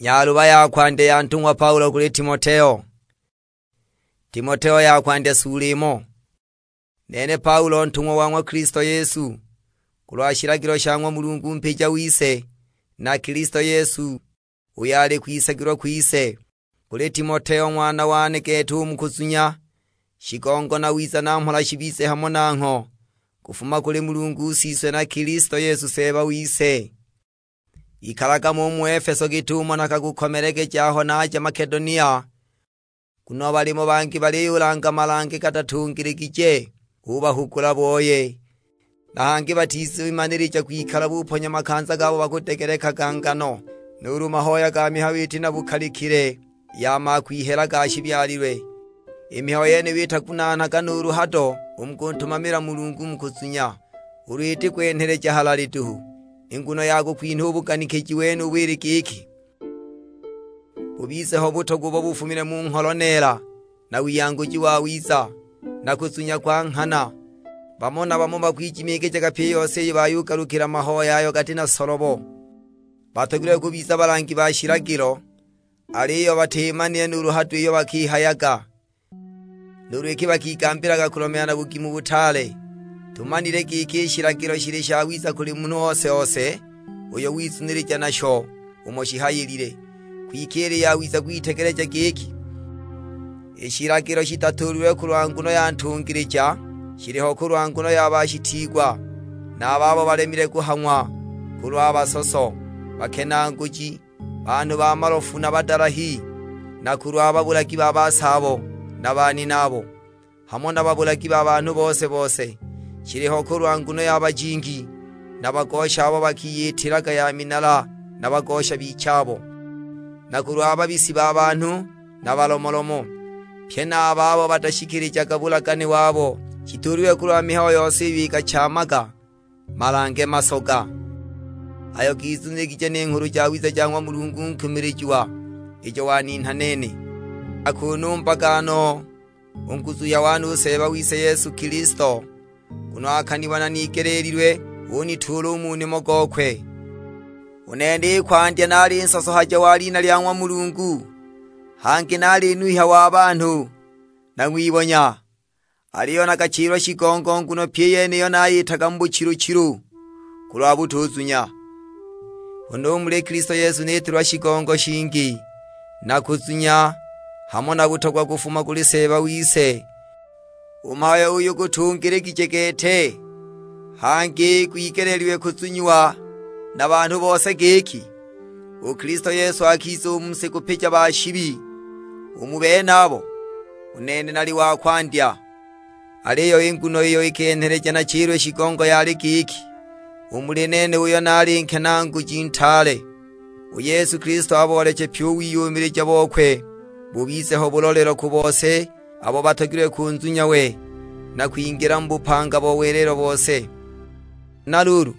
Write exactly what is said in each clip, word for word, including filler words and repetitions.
Nyaluba ya kwandya ya ntung'wa Paulo kuli Timoteo. Timoteo ya kwandya suula imo. Nene Paulo ntung'wa wa ng'wa Kilisto Yesu, kulwa shilagilo sha ng'wa Mulungu mpija wise, na Kilisto Yesu, uyo ali kwisagilwa kwise, kuli Timoteo ng'wana wane gete u mu kuzunya, shigongo na wiza na mhola shibize hamo nangho, kufuma kuli Mulungu Siswe na Kilisto Yesu Seeba wise. Ikalaga mo u mu Efeso git'umo nakagukomelegeja aho naja Makedonia, nguno balimo bangi baliyulanga malange gatatungiligije, ubahugula boye. Na hangi batizimanilija kwikala buponya makanza gabo bakudegelekaga ngano, nuulu mahoya ga mihayo iti na bukalikile, ya makwihela ga shibyalilwe. I mihayo yeniyo itagunanhaga nuulu hado u mu kuntumamila Mulungu mu kuzunya, ulu iti kwenheleja halali duhu. I nguno ya kukwinha u buganikiji wenubu ili giki, bubize ho butogwa ubo bufumile mu ngholo neela, na wiyanguji wawiza, na kuzunya kwa nghana. Bamo na bamo bakwijimiigijaga pyi i yose iyo bayugalukila mahoya ayo gati na solobo. Batogilwe kubiza balangi ba shilagilo, aliyo batimanile nuulu hado iyo bakihayaga, nuulu iki bakigambilaga kulomeela na bugimu butaale. Tumanile giki i shilagilo shili shawiza kuli munhu ose-ose uyo wizunilija nasho umo shihayilile. Kwike ili yawiza kwitegeleja giki, i shilagilo shitatuulilwe kulwa nguno ya ntungilija, shiliho kulwa nguno ya bashitiigwa, na a babo balemile kuhang'wa, kulwa basoso, bakenaanguji, banhu ba malofu na badalahi, na kulwa babulagi ba basaabo na baninabo, hamo na babulagi ba banhu bose-bose. Shiliho kulwa nguno ya bajingi, na bagosha abo bakiyitilaga ya minala, na bagosha bichabo, na kulwa babisi ba banhu, na balomolomo, pye na a babo batashikilijaga bulagane wabo. Shituulilwe kulwa mihayo yose iyo ikachamaga malange masoga, ayo gizunilije ni Nghulu Jawiza ja ng'wa Mulungu nkumilijiwa, ijo waninha nene. Akunumbaga no u nguzuhya wane u Seeba wise Yesu Kilisto, nguno akaniwa nanigeleelilwe, unituula u mu nimo gokwe. U nene i kwandya naali nsosohaja wa lina lya ng'wa Mulungu, hangi naali nuhya wa banhu, na ng'wibonya. Aliyo nakachilwa shigongo, nguno pyi i yeniyo nayitaga mu buchilu-chilu kulwa butuzunya. Nguno u muli Kilisto Yesu nitilwa shigongo shingi, na kuzunya, hamo na butogwa kufuma kuli Seeba wise. U mhayo uyu gutungiligije gete, hangi gwigeleelilwe kuzunyiwa na banhu bose giki, u Kilisto Yesu akiza u mu si kupija ba shibi. U mu benabo, u nene nali wa kwandya. Aliyo i nguno iyo ikenheleja nachilwe shigongo yali giki, u muli nene uyo naali nkenaanguji ntaale, u Yesu Kilisto abooleche pyi u wiyumilija bokwe, bubize ho bulolelo ku bose abo batogilwe kunzunya we, na kwingila mu bupanga bo welelo bose. Na luulu,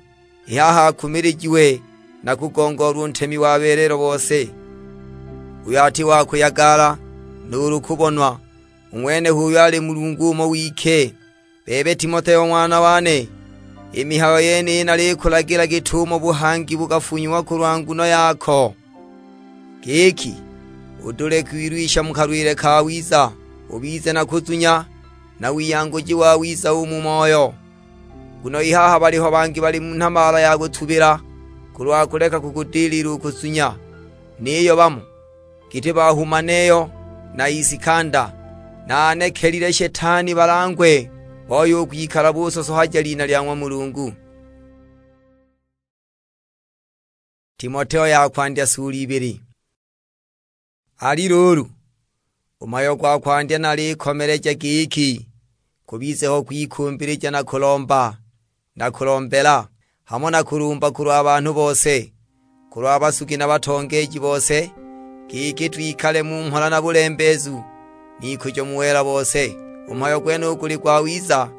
i haha akumilijiwe na kugongoolwa u ntemi wa welelo bose, uyo ati wa kuyagala, nuulu kubonwa, u ng'wenuyo ali Mulungu umo wike. Bebe Timoteo ng'wana wane, i mihayo yeniyi nalikulagila git'umo buhangi bukafunyiwa kulwa nguno yako, giki udule kwilwisha mu kalwile kawiza, ubize na kuzunya, na wiyanguji wawiza u mu moyo. Nguno i haha baliho bangi bali mu nhabaala ya kutubila kulwa kuleka kukudilila u kuzunya, niyo bamo, giti ba Humaneyo na Isikanda, nanekelile Shetani balangwe, booye u kwikala busosohaja lina lya ng'wa Mulungu. Timoteo ya kwandya suula ibili. Ali luulu, u mhayo gwa kwandya nalikomeleja giki, kubize ho kwikumbilija na kulomba, na kulombela, hamo na kulumba kulwa banhu bose, kulwa basugi na batongeeji bose, giki twikale mu mhola na bulembeezu, n'ikujo mu wela bose. U mhayo gwenuyu guli gwawiza,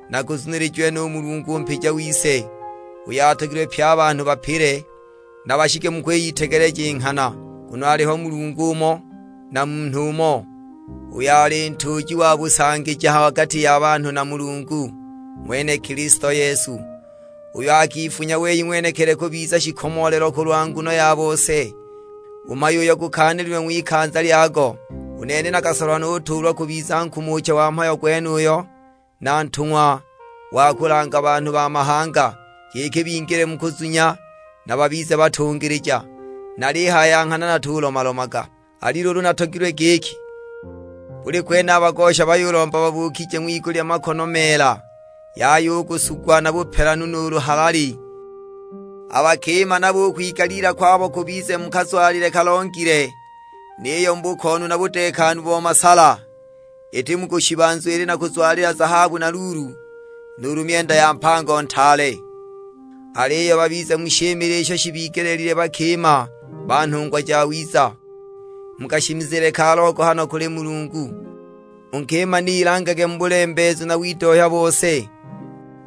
na guzunilijiwe nu Mulungu mpija wise, uyo atogilwe pye a banhu bapile, na bashike mu kwiyitegeleja i nghana. Nguno aliho Mulungu umo, na munhu umo, uyo ali ntuuji wa busangija ha gati ya banhu na Mulungu, ng'wene Kilisto Yesu, uyo akifunya wei ng'wenekili kubiza shikomoolelo kulwa nguno ya bose, U mhayo uyo gukaanilwe ng'wikanza lyago, u nene nakasolwa nutuulwa kubiza nkumucha wa mhayo gwenuyo, na ntung'wa wa kulanga banhu ba mahanga, giki bingile mu kuzunya, na babize batungilija. Nalihaya ya nghana natulomalomaga. Ali luulu natogilwe giki, buli kwene a bagosha bayulomba babuukije ng'wigulya makono meela, yaya u kusugwa na bupelanu nuulu halali. A bakima nabo u kwigalila kwabo kubize mu kazwalile kalongile, niyo mu bukoonu na budekanu bo masala, iti mu kushiba nzwili na kuzwalila zahabu na luulu, nuulu myenda ya mpango ntaale. Aliyo babize mu shimile isho shibigeleelilwe bakima ba nhungwa jawiza, mu kashimizile ka logohano kuli Mulungu. U nkima ni ilangage mu bulembeezu na widohya bose.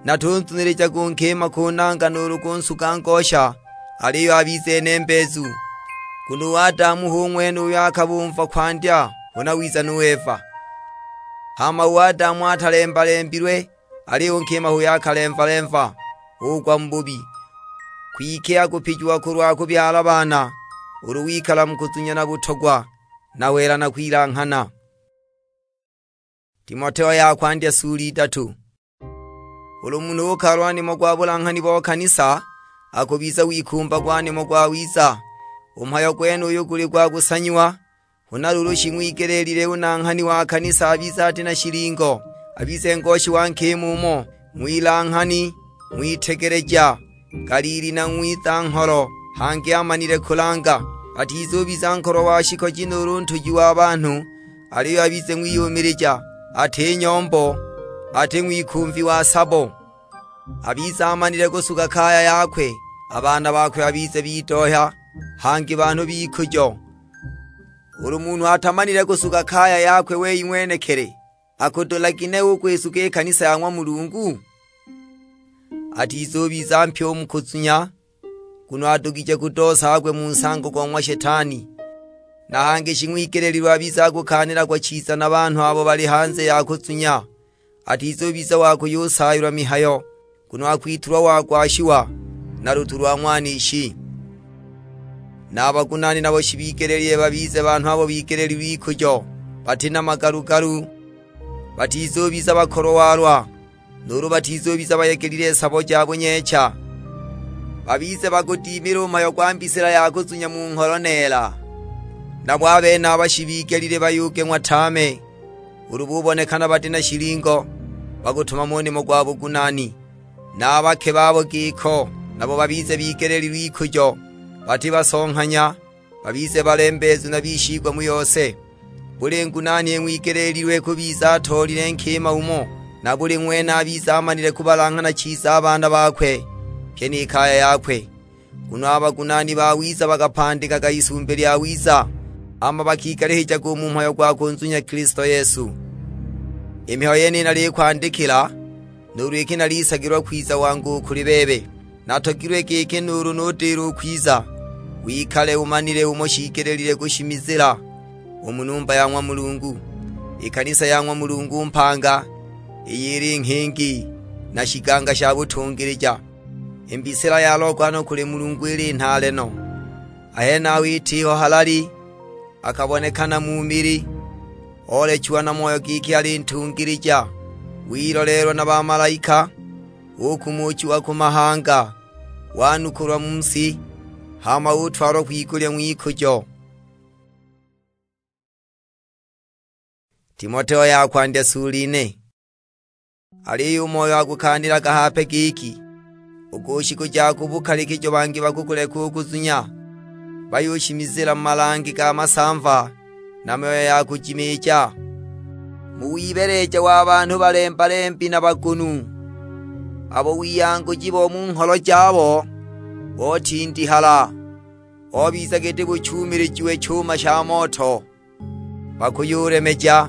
Natunzunilijage u nkima kunanga nuulu kunsuga ngosha, aliyo abize nembeezu. Nguno u Adamu hu ng'wene uyo akabumva kwandya, huna wiza nu Eva. Hama u Adamu atalemba-lembilwe, aliyo u nkima h'uyo akalemva-lemva, ugwa mu bubi. Kwike akupijiwa kulwa kubyala baana, ulu wikala mu kuzunya na butogwa, na wela na kwilanghana. Timoteo ya kwandya sula idatu. Ulu munhu ukalwa nimo gwa bulanghani bo kanisa, akubiza w'ikumba gwa nimo gwawiza. U mhayo gwenuyu guli gwa kusanyiwa, huna luulu shing'wigeleelile u nanghani wa kanisa abize ati na shilingo, abize ngoshi wa nkima umo, ng'wilanghani, ng'witegeleja, galili na ng'wiza ngholo, hangi amanile kulanga. Atizubiza nkolwa wa shikoji nuulu ntuji wa banhu, aliyo abize ng'wiyumilija, ati nyombo, ati ng'wikumvi wa sabo. Abize amanile kusuga kaya yakwe, a baana bakwe abize bidohya, hangi banhu b'ikujo. Ulu munhu atamanile kusuga kaya yakwe wei ng'wenekili, akudula gine u kwisuga i kanisa ya ng'wa Mulungu? Atizubiza mpya u mu kuzunya, nguno adugije kudoosagwe mu nsango go ng'wa Shetani. Na hangi shing'wigeleelilwe abize akukaanilagwa chiza na banhu abo bali hanze ya kuzunya. Atizubiza wa kuyusaayilwa mihayo, nguno akwitulwa wa gwashiwa na lutu lwa ng'wanishi. Na a bagunaani nabo shibigeleelilwe babize banhu abo bigeleelilwe ikujo, bati na magalu-galu, batizubiza bakolowalwa, nuulu batizubiza bayegelile sabo ja bunyeecha. Babize bakudimile u mhayo gwa mbisila ya kuzunya mu ngholo neela. Nabo a benaba shibigelile bayugeng'wa tame, ulu bubonekana bati na shilingo, bagutumama u nimo gwa bugunaani. Na a bake babo giko, nabo babize bigeleelilwe ikujo, bati basonghanya, babize balembeezu na bishigwa mu yose. Buli ngunaani ng'wigeleelilwe kubiza atoolile nkima umo, na buli ng'wene abize amanile kubalanghana chiza a baana bakwe, pyi ni kaya yakwe. Nguno a bagunaani bawiza bakapandikaga isumbi lyawiza, hama bakigalihijaga u mu mhayo gwa kunzunya Kilisto Yesu. I mihayo yeniyi nalikwandikila, nuulu iki nalisagilwa kwiza wangu u kuli bebe. Natogilwe giki nuulu nudila u kwiza, wikale umanile umo shiigelile kushimizila u mu numba ya ng'wa Mulungu, i kanisa ya ng'wa Mulungu mpanga, iyo ili nghingi na shiganga sha butungilija. I mbisila ya logohano kuli Mulungu ili nhaale no. A henaho itiho halali, akabonekana mu mili, oolechiwa na Moyo giki ali ntungilija, wiloleelwa na bamalaika, ukumuchiwa ku mahanga, wanukulwa mu si, hama utwalwa kwigulya ng'wikujo. Timoteo ya kwandya sula ine. Aliyo u Moyo akukaanilaga hape giki, u ku shiku ja ku bukalikijo bangi bakukuleka u kuzunya, bayushimizila mu malange ga masamva na myoyo ya kujimiija, mu wibeleja wa banhu balemba-lembi na bagunu, abo wiyanguji bo mu ngholo jabo botindihala, bobiza giti buchumilijiwe chuma sha moto. Bakuyulemeja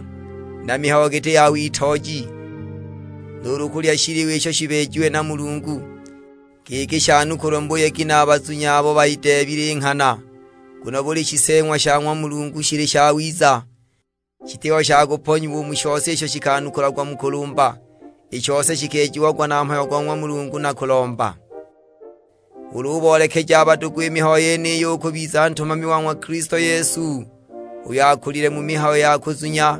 na mihayo giti ya witooji, nuulu kulya shiliwa isho shibeejiwe na Mulungu, giki shanukulwe mu buyegi na a bazunya abo bayideebile i nghana. Nguno buli shiseeng'wa sha ng'wa Mulungu shili shawiza, shitiho sha kuponyiwa u mu shose isho shikanukulagwa mu kulumba, i shose shikeejiagwa na mhayo go ng'wa Mulungu na kulomba. Ulu uboolekeja a badugu i mihayo yeniyi, ukubiza ntumami wa ng'wa Kilisto Yesu, uyo akulile mu mihayo ya kuzunya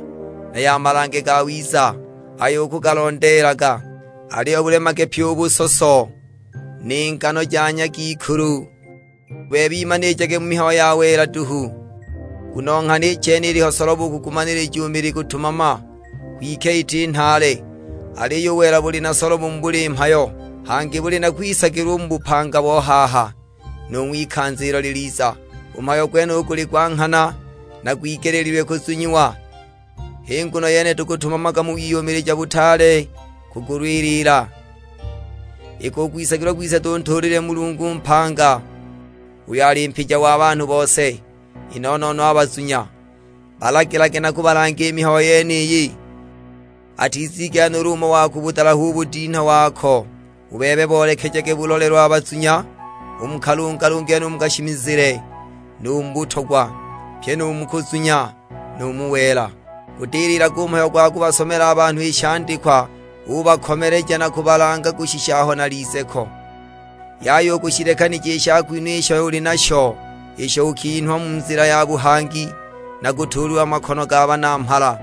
na ya malange gawiza, ayo ukugalondeelaga. Aliyo bulemage pyi u busoso, ni ngano ja nyagikulu. Bebe imanijage mu mihayo ya wela duhu, nguno nghana i chene iliho solobo u kugumanilija u mili gutumama, kwike iti nhaale. Aliyo u wela buli na solobo mu buli mhayo, hangi buli na kwisagilwa u mu bupanga bo haha, nu ng'wikanza ilo liliza. U mhayo gwenuyu guli gwa nghana, na gwigeleelilwe kuzunyiwa. H'i nguno yene tukutumamaga mu wiyumilija butaale kugulwilila, iki u kwisagilwa kwise tuntuulile Mulungu mpanga, uyo ali mpija wa banhu bose, i no-no-no a bazunya. Balagilage na kubalanga i mihayo yeniyi. Atizigela nuulu umo wa kubudalaha u budinha wako. U bebe boolekejage bulolelo a bazunya, u mu kalungalunge nu mu kashimizile, nu mu butogwa, pyi nu mu kuzunya, nu mu wela. Gudililaga u mhayo gwa kubasomela a banhu i shandikwa, ubakomeleja na kubalanga kushisha aho nalize ko. Yaya u kushilekanija i shakwinha isho uli nasho, isho ukinhwa mu nzila ya buhangi, na kutuulilwa makono ga banamhala.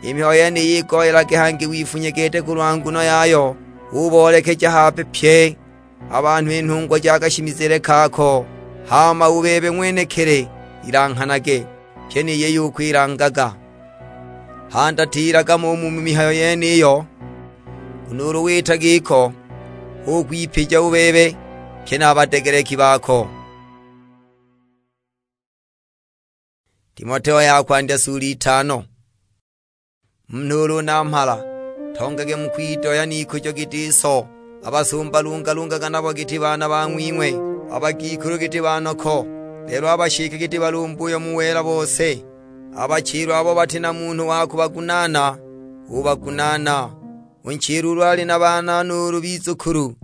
I mihayo yeniyi igoyelage, hangi wifunye gete kulwa nguno yayo, uboolekeja hape pye a banhu i nhungwa ja kashimizile kako, hama u bebe ng'wenekili ilanghanage, pyi ni yiyo ukwilangaga. Handatililaga mo u mu mihayo yeniyo, nguno ulu wita giko, hu kwipija u bebe, pye na a badegeleki bako. Timoteo ya kwandya sula itano. Munhu ulu namhala, tongage mu kwidoya n'ikujo giti so. A basumba lungalungaga nabo giti baana ba ng'wing'we, a bagikulu giti banoko, lelo a bashike giti balumbuyo mu wela bose. A bachilwa abo bati na munhu wa kubagunaana, ubagunaana. U nchilwa ulu ali na baana nuulu bizukulu,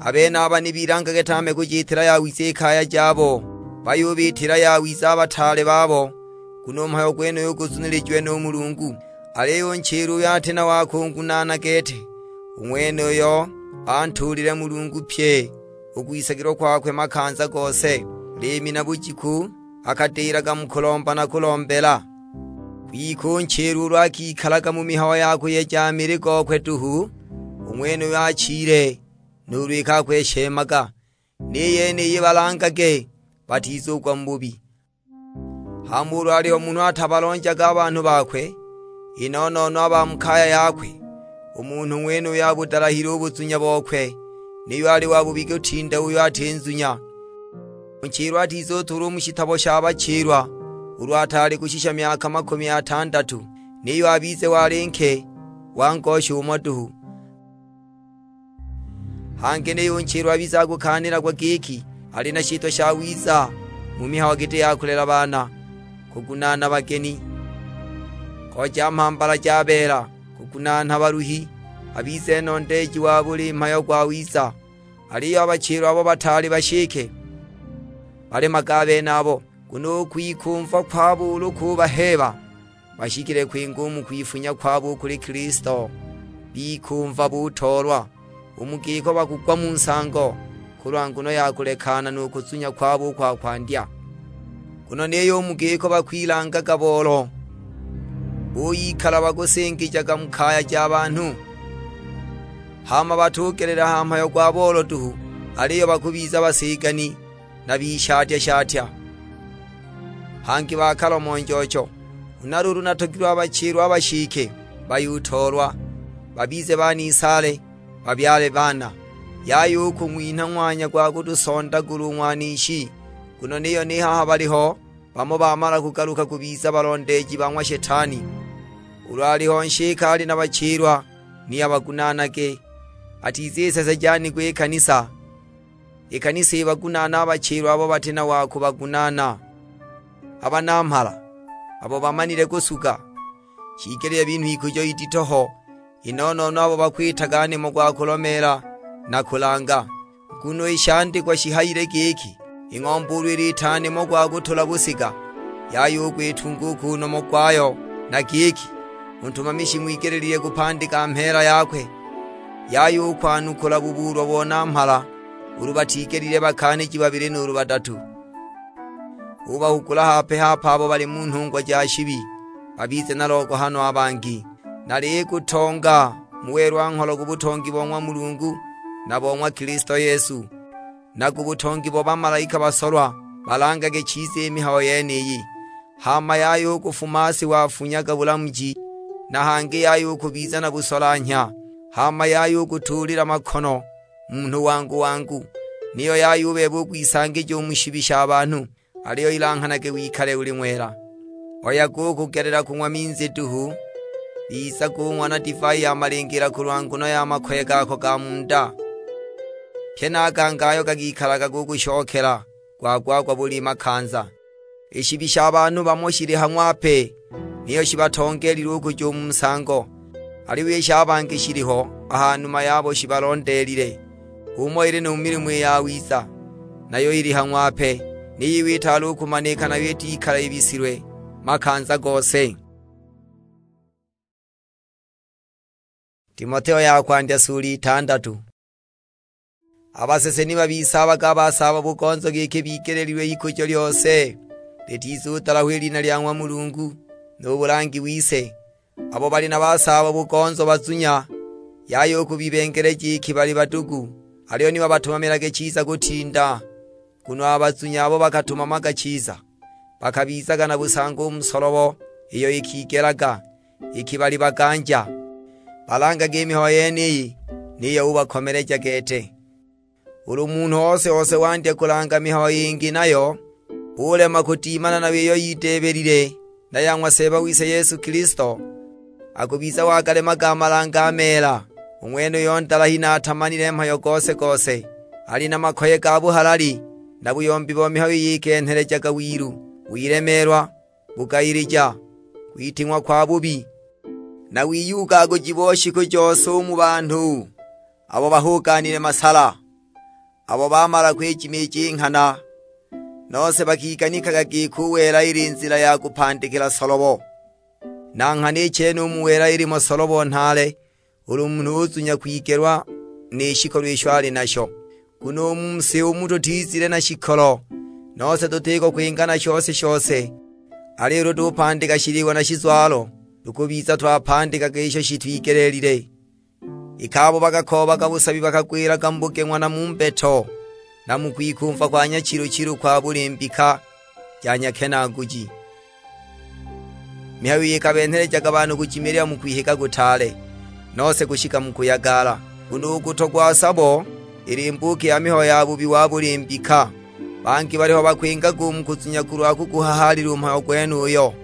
a benaba ni bilangage tame kujiitila yawiza i kaya jabo, bayubiitila yawiza a bataale babo, nguno u mhayo gwenuyu guzunilijiwe nu Mulungu. Aliyo u nchilwa uyo ati na wa kungunaana gete, u ng'wenuyo antuulile Mulungu pye u kwisagilwa kwakwe makanza gose, liimi na bujiku akadilaga mu kulomba na kulombela. Kwike u nchilwa ulu akikalaga mu mihayo ya kuyeja mili gokwe duhu, u ng'wenuyo achile, nuulu iki akweshemaga. Ni yeniyi balangage, batizugwa mu bubi. Hama ulu aliho munhu atabalonjaga a banhu bakwe, i no-no-no a ba mu kaya yakwe, u munhu ng'wenuyo abudalahile u buzunya bokwe, niyo ali wa bubi kutinda uyo ati nzunya. U nchilwa atizutuulwa u mu shitabo sha bachilwa ulu ataali kushisha myaka makumi atandatu, niyo abize wali nke wa ngosha umo duhu. Hangi niyo u nchilwa abize akukaanilagwa giki ali na shitwa shawiza mu mihayo giti ya kulela baana, kugunaana bageni, kooja mhambala ja beela, kugunaana baluhi, abize nondeeji wa buli mhayo gwawiza. Aliyo a bachilwa abo bataali bashike, balemaga a benabo, nguno u kwikumva kwabo ulu kubaheeba, bashikile kwinga u mu kwifunya kwabo u kuli Kilisto, bikumva butoolwa, u mu giko bakugwa mu nsango, kulwa nguno ya kulekana nu kuzunya kwabo u kwa kwandya. Nguno niyo u mu giko bakwilangaga boolo, buyikala bakusingijaga mu kaya ja banhu. Hama batugelela ha mhayo gwa boolo duhu, aliyo bakubiza basigani na bishatya-shatya, hangi bakalomo njocho. Huna luulu natogilwe a bachilwa a bashike bayutoolwa, babize banisaale, babyale baana. Yaya u kung'winha ng'wanya gwa kutusondagula u ng'wanishi, nguno niyo ni haha baliho bamo bamala kugaluka kubiza balondeeji ba ng'wa Shetani. Ulu aliho nshika ali na bachilwa, ni abagunaanage, atizisesejanigwa i kanisa. I kanisa ibagunaane a bachilwa abo bati na wa kubagunaana. A banamhala abo bamanile kusuga, shiigelile binhwe ikujo idito ho, i no-no-no abo bakwitaga nimo gwa kulomeela na kulanga. Nguno i shandikwa shihayile giki, "I ng'ombe ulu ilita nimo gwa kutula busiga, yaya u kwitunga u ku nomo gwayo," na giki, "U ntumamishi ng'wigelile kupandika mheela yakwe." Yaya u kwanukula bubuulwa bo namhala, ulu batigelile bakaaniji babili nuulu badatu. Ubahugula hape-hape abo bali mu nhungwa ja shibi, babize na logohano a bangi. Nalikutonga mu welwa-ngholo ku butongi bo ng'wa Mulungu na bo ng'wa Kilisto Yesu, na ku butongi bo bamalaika basolwa, balangage chiza i mihayo yeniyi. Hama yaya u kufuma si wafunyaga bulamuji, na hangi yaya u kubiza na busolanhya, hama yaya u kutuulila makono munhu wangu-wangu, niyo yaya u bebe u kwisangija u mu shibi sha banhu, aliyo ilanghanage wikale uli ng'wela. Oyaga u kugelela kung'wa minzi duhu, bizaga ung'wa na divai ya malingila kulwa nguno ya makoye gako ga mu nda. Pye na a gangi ayo gakikalaga gukushokela gwa-gwa-gwa buli makanza. I shibi sha banhu bamo shili ha ng'wape, niyo shibatongeelilwe u kuja u mu nsango, aliyo i sha bangi shiliho a ha numa yabo shibalondeelile. H'umo ili nu mu milimo i yawiza, nayo ili ha ng'wape, niyo iwe itaali u kumanika nayo itikala ibisilwe makanza gose. Timoteo ya kwandya sula itandatu. A basese ni babisaabaga a basaaba bugonzo giki bigeleelilwe ikujo lyose, litizudalahwa i lina lya ng'wa Mulungu, nu bulangi wise. Abo bali na basaaba bugonzo bazunya, yaya u kubibengeleja iki bali badugu, aliyo ni babatumamilage chiza kutinda. Nguno a bazunya abo bakatumamaga chiza, bakabizaga na busango u mu solobo iyo ikigelaga, iki bali baganja. Balangage i mihayo yeniyi, niyo ubakomeleja gete. Ulu munhu ose-ose wandya kulanga mihayo yingi nayo, ulema kudimana nayo iyo yideebelile, na ya ng'wa Seeba wise Yesu Kilisto, akubiza wagalemaga a malange a meela. U ng'wenuyo ndalahi na atamanile mhayo gose-gose, ali na makoye ga buhalali, na buyombi bo mihayo yikenhelejaga wilu, wilemeelwa, bugayilija, kwiting'wa kwa bubi, na wiyugaguji bo shiku jose u mu banhu, abo bahugaanile masala, abo bamala kwijimiija i nghana, nose bakiganikaga giki u wela ili nzila ya kupandikila solobo. Na nghana i chene u mu wela ilimo solobo nhaale, ulu munhu uzunya kwigelwa ni shikolo isho ali nasho. Nguno u mu si umu tutizile na shikolo, nose tutiko kwinga na shose-shose, aliyo ulu tupandika shiliwa na shizwalo, tukubiza twapandikaga isho shitwigeleelile. Iki abo bakakoobaga busabi bakagwilaga mu bugeng'wa na mu mbeto, na mu kwikumva kwa nyachilu-chilu kwa buli mbika ja nyakenaaguji. Mihayo iyi ikabenhelejaga banhu kujimilila mu kwihiga kutaale, nose kushika mu kuyagala. Nguno u kutogwa sabo ili mbuuki ya mihayo ya bubi wa buli mbika. Bangi baliho bakwingaga u mu kuzunya kulwa kuguhahaalila u mhayo gwenuyo,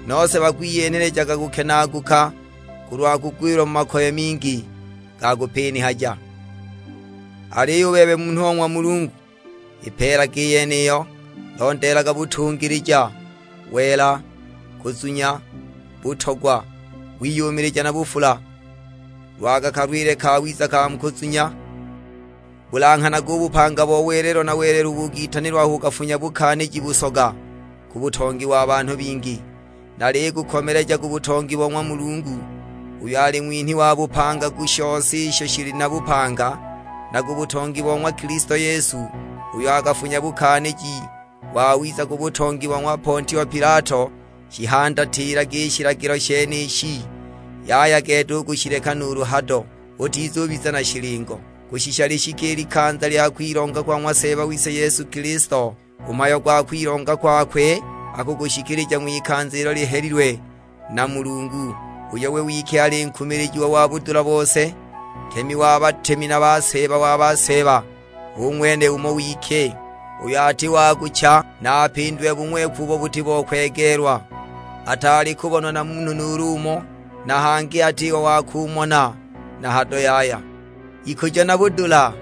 nose bakwiyenhelejaga kukenaaguka kulwa kugwilwa mu makoye mingi ga kupinihaja. Aliyo u bebe munhu o ng'wa Mulungu, ipeelage i yeniyo, londeelaga butungilija, wela, kuzunya, butogwa, wiyumilija na bufula. Lwaga kalwile kawiza ka mu kuzunya, bulanghanaga u bupanga bo welelo na welelo ubugitanilwa aho ukafunya bukaaniji busoga ku butongi wa banhu bingi. Naligukomeleja ku butongi bo ng'wa Mulungu, uyo ali ng'winhi wa bupanga ku shose isho shili na bupanga, na ku butongi bo ng'wa Kilisto Yesu, uyo akafunya bukaaniji wawiza ku butongi bo ng'wa Pontio Pilato, shihandatiilage i shilagilo shenishi. Yaya gete u kushileka nuulu hado, utizubiza na shilingo, kushisha lishike i likanza lya kwilonga kwa ng'wa Seeba wise Yesu Kilisto. U mhayo gwa kwilonga kwakwe akugushikilija ng'wikanza ilo lihelilwe na Mulungu, uyo we wike ali nkumilijiwa wa budula bose, ntemi wa batemi na ba Seeba wa ba Seeba. Hu ng'wene umo wike, uyo ati wa kucha, na apindwe bung'weku ubo buti bo kwegeelwa. Ataali kubonwa na munhu nuulu umo, na hangi atiho wa kumona na hado yaya. Ikujo na budula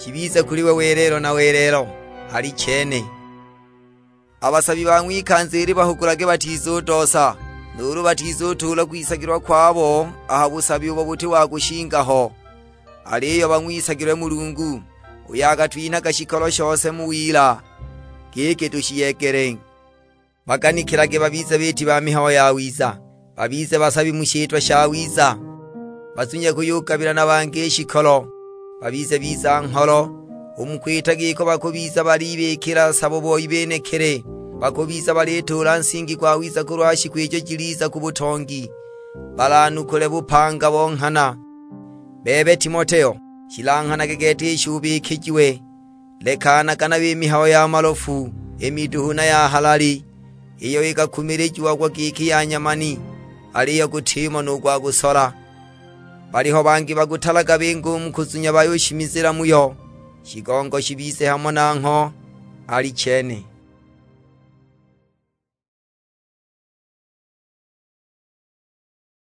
shibize kuli we welelo na welelo. Alichene. A basabi ba ng'wikanza ili bahugulage batizudoosa, nuulu batizutuula kwisagilwa kwabo a ha busabi ubo buti wa kushinga ho. Aliyo bang'wisagilwe Mulungu, uyo akatwinhaga shikolo shose mu wila, giki tushiyegele. Baganikilage babize biiti ba mihayo yawiza, babize basabi mu shitwa shawiza, bazunye kuyugabila na bangi i shikolo, babize biza-ngholo, U mu kwita giko bakubiza balibikila sabo boi benekili, bakubiza balituula nsingi gwawiza kulwa shiku ijo jiliza ku butongi, balanukule bupanga bo nghana. Bebe Timoteo, shilanghanage gete isho ubikijiwe. Lekanaga nayo i mihayo ya malofu, i miduhu na ya halali, iyo ikakumilijiagwa giki ya nyamani, aliyo gutimo nu gwa kusola. Baliho bangi bakutalaga bingi u mu kuzunya bayushimizila muyo, shigongo shibize hamo nangho. Alichene.